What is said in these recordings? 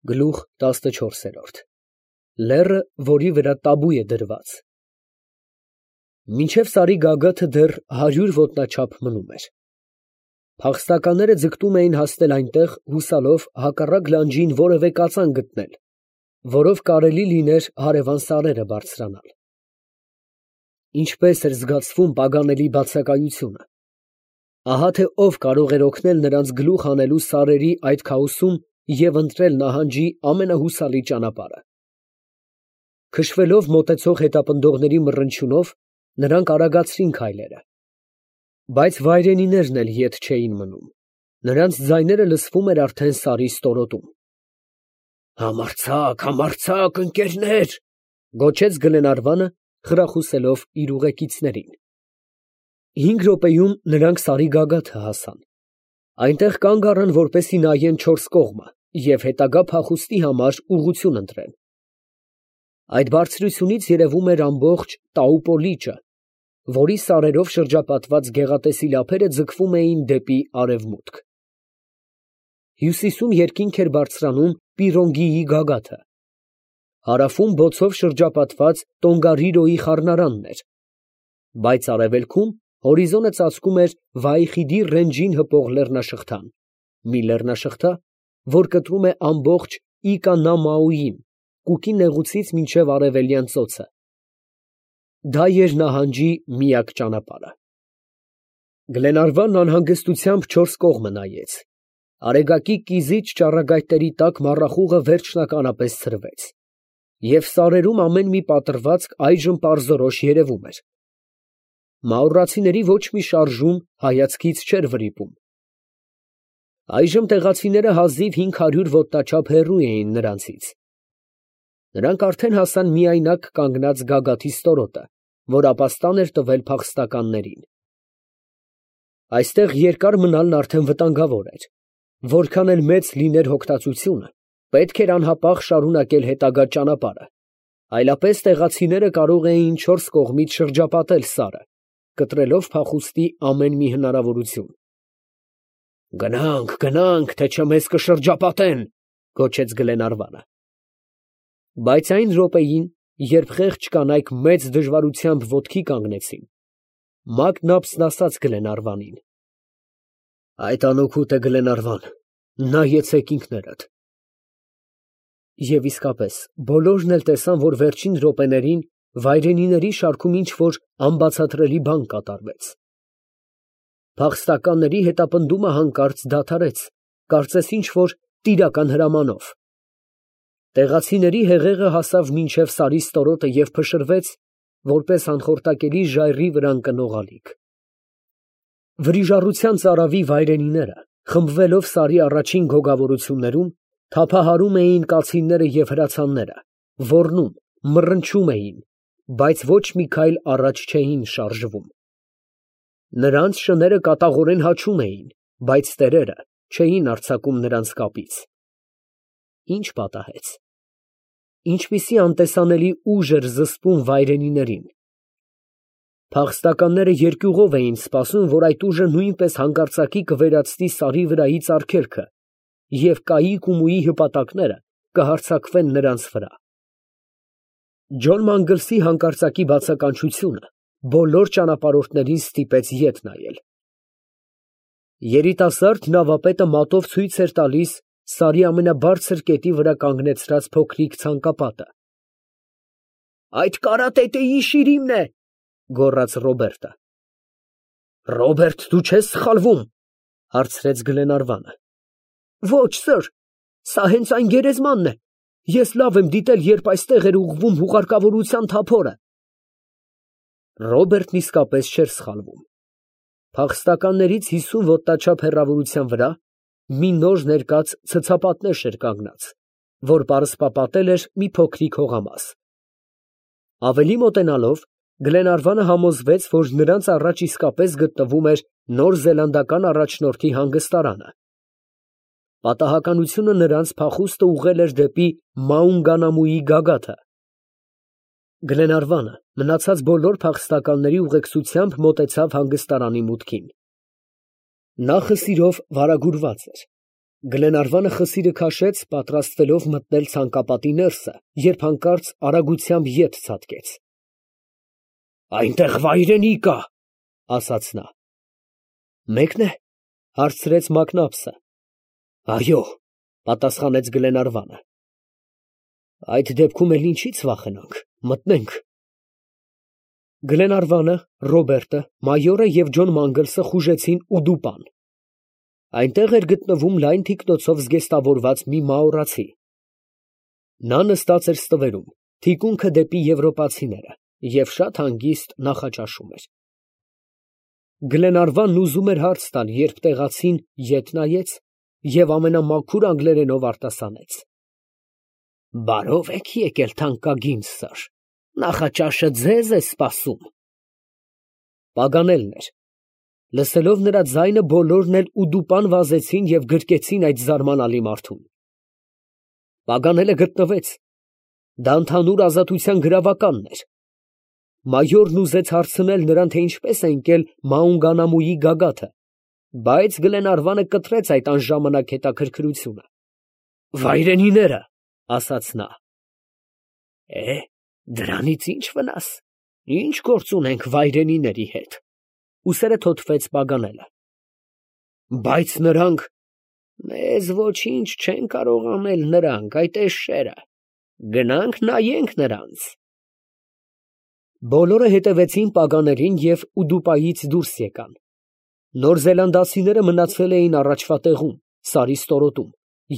Գլուխ 14 Լեռը, որի վրա տաբու է դրված։ Մինչև սարի գագաթը դեռ 100 ոտնաչափ մնում էր։ Փախստականները ձգտում էին հասնել այնտեղ, հուսալով հակառակ լանջին որևէ կածան գտնել, որով կարելի լիներ հարևան սարերը բարձրանալ։ Ինչպես էր զգացվում պագանելի բացակայությունը։ Ահա թե ով կարող էր օգնել նրանց գլուխ հանելու սարերի այդ քաոսում և ընտրել նահանջի ամենահուսալի ճանապարհը։ Քշվելով մոտեցող հետապնդողների մռնչյունով, նրանք արագացրին քայլերը։ Բայց վայրենիներն էլ ետ չէին մնում. նրանց ձայները լսվում էր արդեն սարի ստորոտում։ «Համարձակ, համարձակ, ընկերներ», գոչեց Գլենարվանը, խրախուսելով իր ուղեկիցներին։ 5 րոպեում նրանք սարի գագաթը հասան։ Այնտեղ կանգ առան, որպեսզի նայեն չորս կողմը և հետագա փախուստի համար ուղղություն ընտրեն։ Այդ բարձրությունից երևում էր ամբողջ Տաուպո լիճը, որի սարերով շրջապատված գեղատեսիլ ափերը ձգվում էին դեպի արևմուտք։ Հյուսիսում երկինք էր բարձրանում Պիրոնգիի գագաթը։ Հարավում բոցով շրջապատված Տոնգարիրոյի խառնարանն էր, բայց արևելքում հորիզոնը ծածկում էր Վայխիդի ռենջին հպող լեռնաշղթան, մի լեռնաշղթա, որ կտրում է ամբողջ Իկանամաուին, Կուկի նեղուցից մինչև արևելյան ծոցը։ Դա էր նահանջի միակ ճանապարհը։ Գլենարվանն անհանգստությամբ չորս կողմը նայեց։ Արեգակի կիզիչ ճառագայթների տակ մառախուղը վերջնականապես ցրվեց, և սարերում ամեն մի պատռվածք այժմ պարզորոշ երևում էր։ Մաուրացիների ոչ մի շարժում հայացքից չէր վրիպում։ Այժմ տեղացիները հազիվ 500 ոտնաչափ հեռու էին նրանցից։ Նրանք արդեն հասան միայնակ կանգնած գագաթի ստորոտը, որ ապաստան էր տվել փախստականներին։ Այստեղ երկար մնալն արդեն վտանգավոր էր։ Որքան էլ մեծ լիներ հոգտածությունը, պետք էր անհապաղ շարունակել հետագա ճանապարհը, այլապես տեղացիները կարող էին չորս կողմից շրջապատել սարը, կտրելով փախուստի ամեն մի հնարավորություն։ «Գնանք, գնանք, թե չէ մեզ կշրջապատեն», գոչեց Գլենարվանը։ Բայց այն րոպեին, երբ խեղճ կանայք մեծ դժվարությամբ ոտքի կանգնեցին, Մակնաբսն ասաց Գլենարվանին. «Այդ անօգուտ է, Գլենարվան, նայեցեք ինքներդ»։ Եվ իսկապես, բոլորն էլ տեսան, որ վերջին րոպեներին վայրենիների շարքում ինչ֊որ անբացատրելի բան կատարվեց։ Փախստականների հետապնդումը հանկարծ դադարեց, կարծես ինչ֊որ տիրական հրամանով։ Տեղացիների հեղեղը հասավ մինչև սարի ստորոտը և փշրվեց, որպես անխորտակելի ժայռի վրա ընկնող ալիք։ Վրիժառության ծարավի վայրենիները, խմբվելով սարի առաջին գոգավորություններում, թափահարում էին կացինները և հրացանները, ոռնում, մռնչում էին, բայց ոչ մի քայլ առաջ չէին շարժվում։ Նրանց շները կատաղորեն հաչում էին, բայց տերերը չէին արձակում նրանց կապից։ Ինչ պատահեց։ Ինչպիսի անտեսանելի ուժ էր զսպում վայրենիներին։ Փախստականները երկյուղով էին սպասում, որ այդ ուժը նույնպես հանկարծակի կվերածվի սարի վրայից արգելքը, և կայիկ ու մույի հպատակները կհարձակվեն նրանց վրա։ Ջոն Մանգլսի հանկարծակի բացականչությունը բոլոր ճանապարհորդներին ստիպեց ետ նայել։ Երիտասարդ նավապետը մատով ցույց էր տալիս սարի ամենաբարձր կետի վրա կանգնեցրած փոքրիկ ցանկապատը։ «Այդ կարատետեի շիրիմն է», գոռաց Ռոբերտը։ «Ռոբերտ, դու չես սխալվում», հարցրեց Գլենարվանը։ «Ոչ, սըր, սա հենց այն գերեզմանն է։ Ես լավ եմ դիտել, երբ այստեղ էր ուղղվում հուղարկավորության թափորը»։ Ռոբերտն իսկապես չէր սխալվում։ Փախստականներից 50 ոտնաչափ հեռավորության վրա մի նոր ներկած ցցապատնեշ էր կանգնած, որ պարսպապատել էր մի փոքրիկ հողամաս։ Ավելի մոտենալով, Գլենարվանը համոզվեց, որ նրանց առաջ իսկապես գտնվում էր Նոր Զելանդական առաջնորդի հանգստարանը։ Պատահականությունը նրանց փախուստը ուղղել էր դեպի Մաունգանամուի գագաթը։ Գլենարվանը մնացած բոլոր փախստականների ուղեկցությամբ մոտեցավ հանգստարանի մուտքին։ Նախը սիրով վարագուրված էր։ Գլենարվանը խսիրը քաշեց, պատրաստվելով մտնել ցանկապատի ներսը, երբ հանկարծ արագությամբ ետ ցատկեց։ «Այնտեղ վայրենի կա», ասաց նա։ «Մեկն է», հարցրեց Մակնաբսը։ «Այո», պատասխանեց Գլենարվանը։ «Այդ դեպքում էլ ինչի՞ց վախենանք, մտնենք»։ Գլենարվանը, Ռոբերտը, մայորը և Ջոն Մանգլսը խուժեցին Ուդուպան։ Այնտեղ էր գտնվում լայն թիկնոցով զգեստավորված մի մաորացի։ Նա նստած էր ստվերում, թիկունքը դեպի եվրոպացիները, և շատ հանգիստ նախաճաշում էր։ Գլենարվանն ուզում էր հարց տալ, երբ տեղացին ետ նայեց և ամենամաքուր անգլերենով արտասանեց. «Բարով եք եկել, թանկագին սըր, նախաճաշը ձեզ է սպասում»։ Պագանելն էր։ Լսելով նրա ձայնը, բոլորն էլ Ուդուպան վազեցին և գրկեցին այդ զարմանալի մարդուն։ Պագանելը գտնվեց։ Դա ընդհանուր ազատության գրավականն էր։ Մայորն ուզեց հարցնել նրան, թե ինչպես է ընկել Մաունգանամուի գագաթը, բայց Գլենարվանը կտրեց այդ անժամանակ հետաքրքրությունը։ «Վայրենիները», ասաց նա։ Դրանից ի՞նչ վնաս, ինչ գործ ունենք վայրենիների հետ, ուսերը թոթվեց Պագանելը։ Բայց նրանք… Մեզ ոչինչ չեն կարող անել նրանք, այդ էշերը, գնանք նայենք նրանց։ Բոլորը հետևեցին Պագաներին և Ուդուպայից դուրս եկան։ Նոր զելանդացիները մնացել էին առաջվա տեղում, սարի ստորոտում,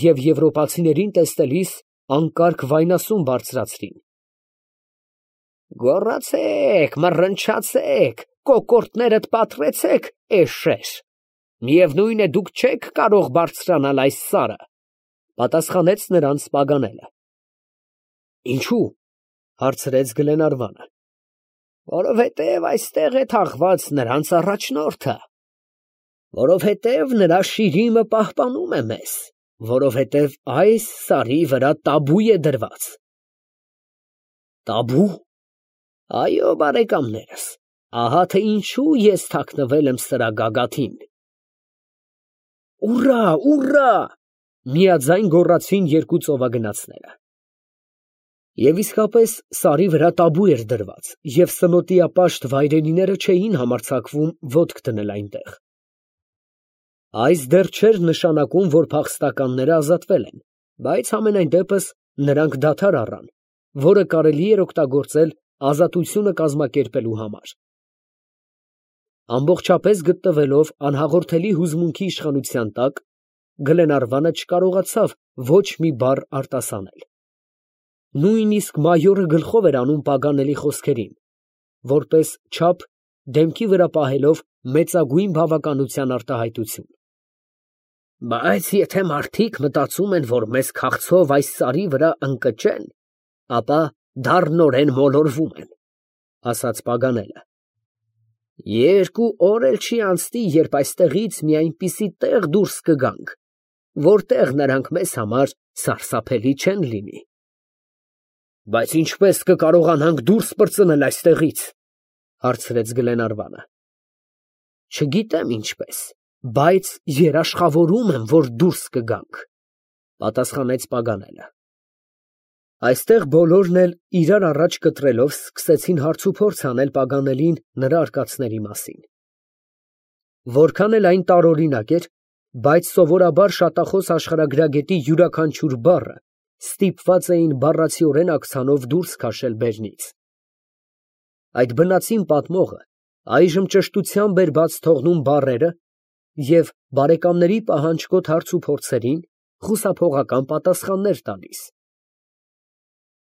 և եվրոպացիներին տեսնելիս անկարգ վայնասուն բարձրացրին։ «Գոռացե՛ք, մռնչացե՛ք, կոկորդներդ պատռեցե՛ք, էշեր, միևնույն է, դուք չեք կարող բարձրանալ այս սարը», պատասխանեց նրանց Պագանելը։ «Ինչո՞ւ», հարցրեց Գլենարվանը։ «Որովհետև այստեղ է թաղված նրանց առաջնորդը, որովհետև նրա շիրիմը պահպանում է մեզ, որովհետև այս սարի վրա տաբու է դրված»։ «Տաբու»։ Այո, բարեկամներս, ահա թե ինչու ես թաքնվել եմ սրա գագաթին։ «Ուռա, ուռա», միաձայն գոռացին երկու ծովագնացները։ Եվ իսկապես սարի վրա տաբու էր դրված, և սնոտիապաշտ վայրենիները չէին համարձակվում ոտք դնել այնտեղ։ Այս դեռ չէր նշանակում, որ փախստականները ազատվել են, բայց համենայն դեպս նրանք դադար առան, որը կարելի էր օգտագործել ազատությունը կազմակերպելու համար։ Ամբողջապես գտնվելով անհաղորդելի հուզմունքի իշխանության տակ, Գլենարվանը չկարողացավ ոչ մի բառ արտասանել։ Նույնիսկ մայորը գլխով էր անում Պագանելի խոսքերին, որպես չափ դեմքի վրա պահելով մեծագույն բավականության արտահայտություն։ «Բայց եթե մարդիկ մտածում են, որ մեզ քաղցով այս սարի վրա ընկճեն, ապա դառնորեն մոլորվում են», ասաց Պագանելը։ «2 օր էլ չի անցնի, երբ այստեղից մի այնպիսի տեղ դուրս կգանք, որտեղ նրանք մեզ համար սարսափելի չեն լինի»։ «Բայց ինչպես կկարողանանք դուրս պրծնել այստեղից», հարցրեց Գլենարվանը։ «Չգիտեմ ինչպես, բայց երաշխավորում եմ, որ դուրս կգանք», պատասխանեց Պագանելը։ Այստեղ բոլորն էլ իրար առաջ կտրելով սկսեցին հարցուփորձ անել Պագանելին նրա արկածների մասին։ Որքան էլ այն տարօրինակ էր, բայց սովորաբար շատախոս աշխարհագրագետի յուրաքանչյուր բառը ստիպված էին բառացիորեն աքցանով դուրս քաշել բերնից։ Այդ բնածին պատմողը այժմ ճշտությամբ էր բաց թողնում բառերը և բարեկամների պահանջկոտ հարցուփորձերին խուսափողական պատասխաններ տալիս։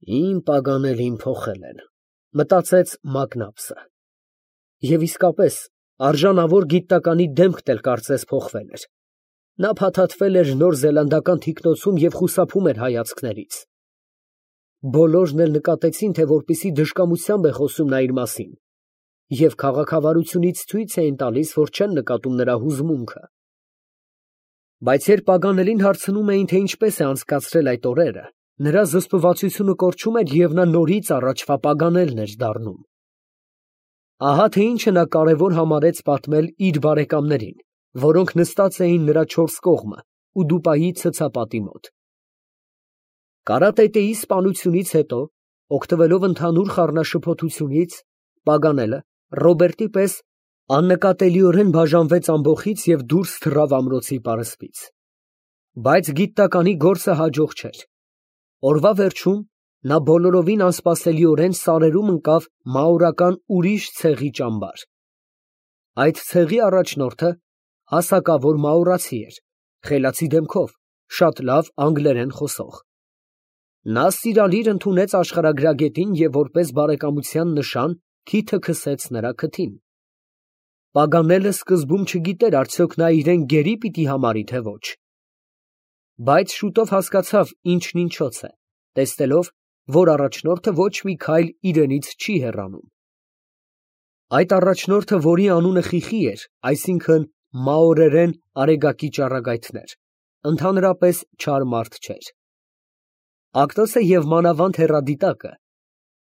«Իմ Պագանելին փոխել են», մտածեց Մակնաբսը։ Եվ իսկապես, արժանավոր գիտնականի դեմքն էլ կարծես փոխվել էր։ Նա փաթաթվել էր նոր զելանդական թիկնոցում և խուսափում էր հայացքներից։ Բոլորն էլ նկատեցին, թե որպիսի դժկամությամբ է խոսում նա իր մասին, և քաղաքավարությունից ցույց էին տալիս, որ չեն նկատում նրա հուզմունքը։ Բայց երբ Պագանելին հարցնում էին, թե ինչպես է անցկացրել այդ օրերը, նրա զսպվածությունը կորչում էր և նա նորից առաջվա Պագանելն էր դառնում։ Ահա թե ինչը նա կարևոր համարեց պատմել իր բարեկամներին, որոնք նստած էին նրա չորս կողմը Ուդուպայի ցցապատի մոտ։ Կարատետեի սպանությունից հետո, օգտվելով ընդհանուր խառնաշփոթությունից, Պագանելը Ռոբերտի պես աննկատելիորեն բաժանվեց ամբոխից և դուրս թռավ ամրոցի պարսպից։ Բայց գիտնականի գործը հաջող չէր։ Օրվա վերջում նա բոլորովին անսպասելիորեն սարերում ընկավ մաուրական ուրիշ ցեղի ճամբար։ Այդ ցեղի առաջնորդը հասակավոր մաուրացի էր, խելացի դեմքով, շատ լավ անգլերեն խոսող։ Նա սիրալիր ընդունեց աշխարհագրագետին և որպես բարեկամության նշան քիթը քսեց նրա քթին։ Պագանելը սկզբում չգիտեր արդյոք նա իրեն գերի պիտի համարի, թե ոչ։ Բայց շուտով հասկացավ ինչն ինչոց է, տեսնելով, որ առաջնորդը ոչ մի քայլ իրենից չի հեռանում։ Այդ առաջնորդը, որի անունը Խիխի էր, այսինքն մաորերեն արեգակի ճառագայթներ, ընդհանրապես չար մարդ չէր։ Ակտոսը և մանավանդ հեռադիտակը,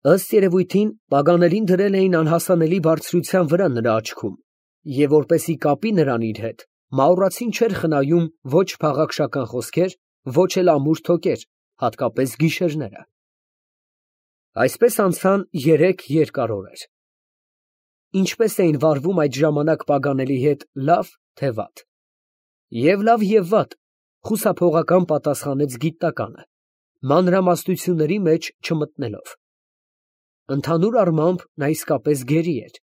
ըստ երևույթին, Պագանելին դրել էին անհասանելի բարձրության վրա նրա աչքում, և որպեսզի կապի նրան իր հետ, մաուրացին չէր խնայում ոչ փաղաքշական խոսքեր, ոչ էլ ամուր թոկեր, հատկապես գիշերները։ Այսպես անցան 3 երկար օրեր։ Ինչպես էին վարվում այդ ժամանակ Պագանելի հետ, լավ, թե վատ։ Եվ լավ և վատ, խուսափողական պատասխանեց գիտնականը, մանրամասնությունների մեջ չմտնելով։ Ընդհանուր առմամբ նա իսկապես գերի էր,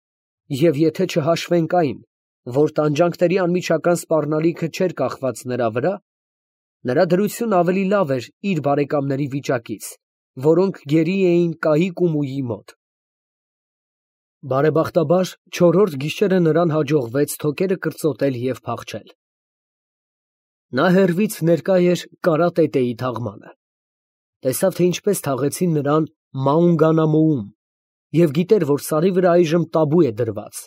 և եթե չհաշվենք այն, որ տանջանքների անմիջական սպառնալիքը չէր կախված նրա վրա, նրա դրությունն ավելի լավ էր իր բարեկամների վիճակից, որոնք գերի էին կահիկ ու մույի մոտ։ Բարեբախտաբար, չորրորդ գիշերը նրան հաջողվեց թոկերը կրծոտել և փախչել։ Նա հեռվից ներկա էր կարատետեի թաղմանը։ Տեսավ, թե ինչպես թաղեցին նրան Մաունգանամոում և գիտեր, որ սարի վրա այժմ տաբու է դրված։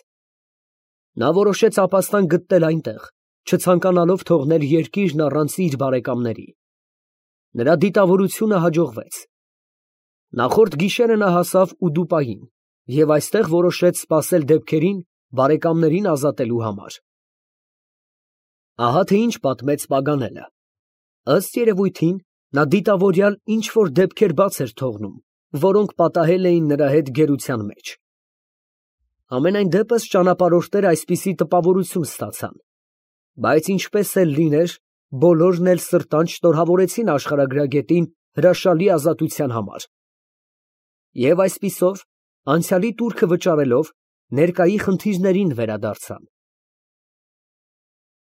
Նա որոշեց ապաստան գտնել այնտեղ, չցանկանալով թողնել երկիրն առանց իր բարեկամների։ Նրա դիտավորությունը հաջողվեց։ Նախորդ գիշերը նա հասավ Ուդուպային և այստեղ որոշեց սպասել դեպքերին բարեկամներին ազատելու համար։ Ահա թե ինչ պատմեց Պագանելը։ Ըստ երևույթին, նա դիտավորյալ ինչ֊որ դեպքեր բաց էր թողնում, որոնք պատահել էին նրա հետ գերության մեջ։ Համենայն դեպս ճանապարհորդները այսպիսի տպավորություն ստացան։ Բայց ինչպես էլ լիներ, բոլորն էլ սրտանց շնորհավորեցին աշխարհագրագետին հրաշալի ազատության համար։ Եվ այսպիսով, անցյալի տուրքը վճարելով, ներկայի խնդիրներին վերադարձան։